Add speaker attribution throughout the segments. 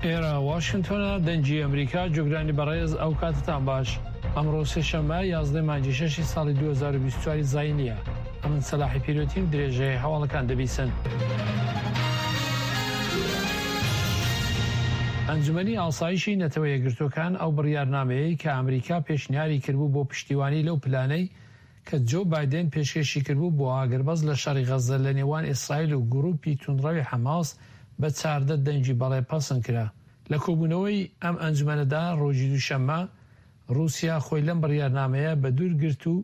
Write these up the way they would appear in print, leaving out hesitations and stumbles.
Speaker 1: ئێرە واشنتۆنە دەنگی ئەمریکا جۆگرانی بەڕێز ئەو کاتتان باش ئەمڕۆ سێشەممە یازدەی مانگی شەشی ساڵی 2024 زاینیە ئەمن سەلاحی پیرۆتیم درێژەی هەواڵەکان دەبیسن. ئەنجومەنی ئاسایشی نەتەوە یەکگرتووەکان ئەو بڕیارنامەیەی کە ئەمریکا پێشنیاری کردبوو بۆ پشتیوانی لەو پلانەی کە جۆ بایدێن پێشکێشی کردبوو بۆ ئاگربەست لە شەڕی غەززە لە نێوان ئیسرائیل و گرووپی توندڕەوی حەماس بە 14 دەنگی بەڵێ پەسند کرا. لە کۆبوونەوەی ئەم ئەنجومەنەدا ڕۆژی دووشەممە، ڕووسیا خۆی لەم بڕیارنامەیە بەدوور گرت و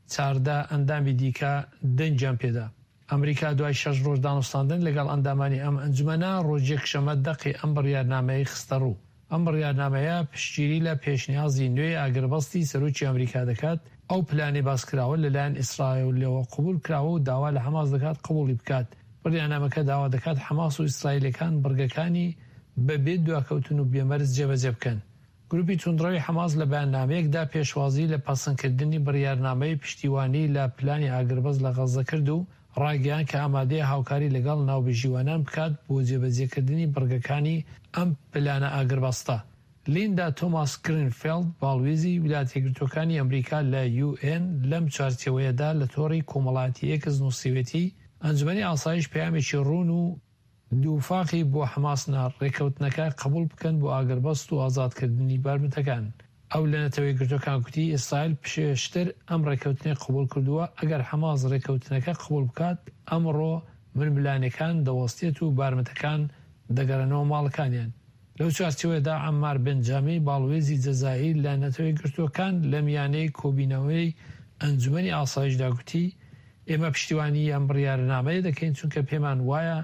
Speaker 1: 14 ئەندامی دیکە دەنگیان پێدا. ئەمریکا دوای شەش ڕۆژ دانوستاندن لەگەڵ ئەندامانی ئەم ئەنجومەنە، ڕۆژی یەکشەممە دەقی ئەم بڕیارنامەیەی خستەڕوو. ئەم بڕیارنامەیە پشتگیری لە پێشنیازی نوێی ئاگربەستی سەرۆکی ئەمریکا دەکات، ئەو پلانەی باسکراوە لەلایەن ئیسرائیلەوە قبوڵ کراوە و داوا لە حەماس دەکات قبوڵی بکات. بڕیارنامەکە داوا دەکات حەماس و ئیسرائیلیەکان بڕگەکانی بە بێ دواکەوتن و بێ مەرج جێبەجێ بکەن. گروپی توندڕەوی حەماس لە بەیاننامەیەکدا پێشوازی لە پەسەندکردنی بڕیارنامەی پشتیوانی لە پلانی ئاگربەست لە غەززە کرد و ڕایگەیاند کە ئامادەیە هاوکاری لەگەڵ ناوبژیوانان بکات بۆ جێبەجێکردنی بڕگەکانی ئەم پلانە ئاگربەستە. لیندا تۆماس گرینفێڵد، باڵوێزی ویلایەتەیەکگرتووەکانی ئەمریکا لە یو ئێن لەم چوارچێوەیەدا لە تۆڕی کۆمەڵایەتی ئێکس نووسیوێتی، ئەنجومەنی ئاسایش پەیامێکی ڕوون و دووفاقی بۆ حەماس نارد، ڕێککەوتنەکە قبوڵ بکەن بۆ ئاگربەست و ئازادکردنی بارمتەکان. ئەو لە نەتەوەیەکگرتووەکان گوتی، ئیسرائیل پێشتر ئەم ڕێککەوتنەی قبوڵ کردووە، ئەگەر حەماس ڕێککەوتنەکە قبوڵ بکات، ئەمڕۆ ململانێکان دەوەستێت و بارمتەکان دەگەڕێنەوە ماڵەکانیان. لەو چوارچێوەیەدا عەممار بنجامی، باڵوێزی جەزائیر لە نەتەوەیەکگرتووەکان لە میانەی کۆبینەوەی ئەنجومەنی ئاسایشدا گوتی، ئێمە پشتیوانیی ئەم بڕیارنامەیە دەکەین چونکە پێمان وایە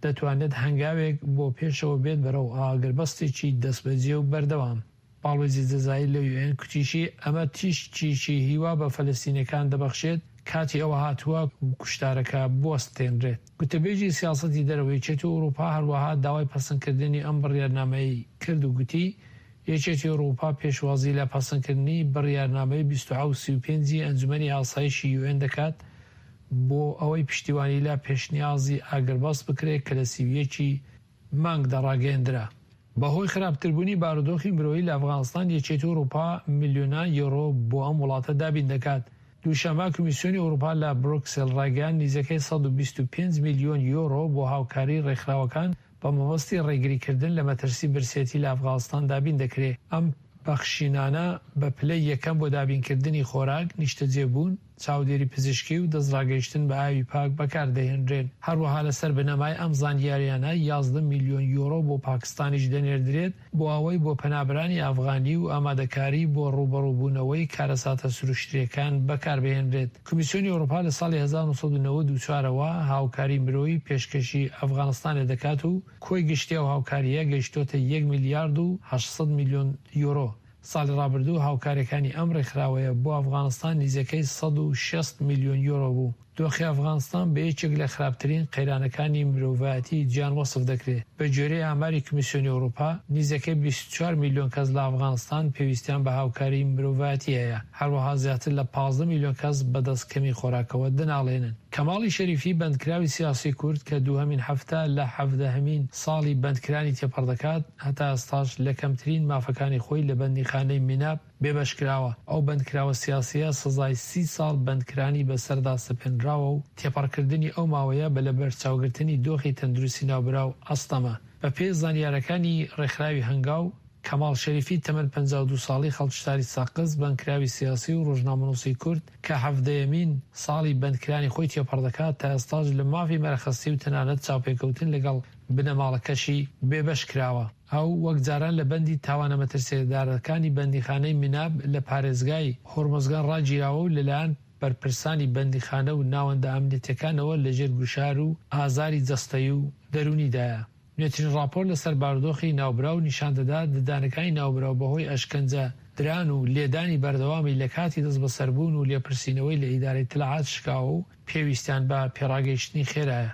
Speaker 1: دەتوانێت هەنگاوێک بۆ پێشەوە بێت بەرەو ئاگربەستێکی دەستبەجێ و بەردەوام. باڵوێزی جەزائیر لە یوئێن کوتیشی، ئەمە تیشکێکی هیوا بە فەلەستینیەکان دەبەخشێت، کاتی ئەوە هاتووە کوشتارەکە بوەستێنرێت. گوتەبێژی سیاسەتی دەرەوەی یەکێتی ئەوروپا هەروەها داوای پەسەندکردنی ئەم بڕیارنامەیەی کرد و گوتی، یەکێتی ئەوروپا پێشوازی لە پەسەندکردنی بڕیارنامەی 2735 ی ئەنجومەنی ئاسایشی یوئێن دەکات بۆ ئەوەی پشتیوانی لە پێشنیازی ئاگربەست بکرێت کە لە 31 ی مانگدا ڕاگەیەندرا. بەهۆی خراپتربوونی بارودۆخی مرۆیی لە ئەفغانستان، یەکێتی ئەوروپا ملیۆنان یۆرۆ بۆ ئەم وڵاتە دابین دەکات. دووشەممە کمیسیۆنی ئەوروپا لە برۆکسێل ڕایگەیاند نیزەکەی 125 ملیۆن یۆرۆ بۆ هاوکاری ڕێکخراوەکان بە مەبەستی ڕێگریکردن لە مەترسی برسێتی لە ئەفغانستان دابین دەکرێ. ئەم بەخشینانە بە پلەی یەکەم بۆ دابینکردنی خۆراک، نیشتەجێبوون، چاودێری پزیشکی و دەستڕاگەیشتن بە ئاوی پاک بەکاردەهێنرێن. هەروەها لەسەر بنەمای ئەم زانیاریانە 11 ملیۆن یۆرۆ بۆ پاکستانیش دەنێردرێت بۆ ئەوەی بۆ پەنابەرانی ئەفغانی و ئامادەکاری بۆ ڕووبەڕووبوونەوەی کارەساتە سروشتییەکان بەکاربهێنرێت. کمیسیۆنی ئەوروپا لە ساڵی 1994 ەوە هاوکاری مرۆیی پێشکەشی ئەفغانستانێ دەکات و کۆی گشتی ئەو هاوکارییە گەیشتۆتە یەک میلیارد و 800 میلیۆن یۆرۆ. ساڵی ڕابردوو هاوکارییەکانی ئەم ڕێکخراوەیە بۆ ئەفغانستان نیزەکەی 160 میلیۆن یۆرۆ بوو. دۆخی ئەفغانستان بە یەکێک لە خراپترین قەیرانەکانی مرۆڤایەتی جیهان وەسف دەکرێت. بە گوێرەی ئاماری کمیسیۆنی ئەوروپا، نیزەکەی 24 میلیۆن کەس لە ئەفغانستان پێویستیان بە هاوکاری مرۆڤایەتی هەیە. هەروەها زیاتر لە 15 میلیۆن کەس بەدەست کەمی خۆراکەوە دەناڵێنن. کەماڵی شەریفی بەندکراوی سیاسی کورد کە دووهەمین هەفتە لە حەڤدەهەمین ساڵی بەندکرانی تێپەڕ دەکات، هەتا ئێستاش لە کەمترین مافەکانی خۆی لە بەندیخانەی میناب بێبەش کراوە. ئەو بەندکراوە سیاسییە سزای 30 ساڵ بەندکرانی بەسەردا سەپێنراوە و تێپەڕکردنی ئەو ماوەیە بە لەبەرچاوگرتنی دۆخی تەندروستی ناوبراو ئەستەمە. بەپێی زانیارەکانی ڕێکخراوی هەنگاو، کەماڵ شەریفی تەمەن 52 ساڵی خەڵکی شاری سەقز، بەندکراوی سیاسی و ڕۆژنامەنووسی کورد کە حەڤدەیەمین ساڵی بەندکرانی خۆی تێپەڕ دەکات، تا ئێستاش لە مافی مەرەخەسی و تەنانەت چاوپێکەوتن لەگەڵ بنەماڵەکەشی بێبەش کراوە. ئەو وەک جاران لە بەندی تاوانە مەترسیدارەکانی بەندیخانەی میناب لە پارێزگای هورمزگان ڕاگیراوە و لەلایەن بەرپرسانی بەندیخانە و ناوەندە ئەمنیەتیەکانەوە لەژێر گوشار و ئازاری جەستەیی و دەروونیدایە. نوێترین ڕاپۆرت لەسەر بارودۆخی ناوبراو نیشان دەدات ددانەکانی ناوبراو بەهۆی ئەشکەنجە دران و لێدانی بەردەوامی لە کاتی دەستبەسەربوون و لێپرسینەوەی لە ئیدارەی ئیتلاعات شکاوە و پێویستیان بە پێڕاگەیشتنی خێرایە.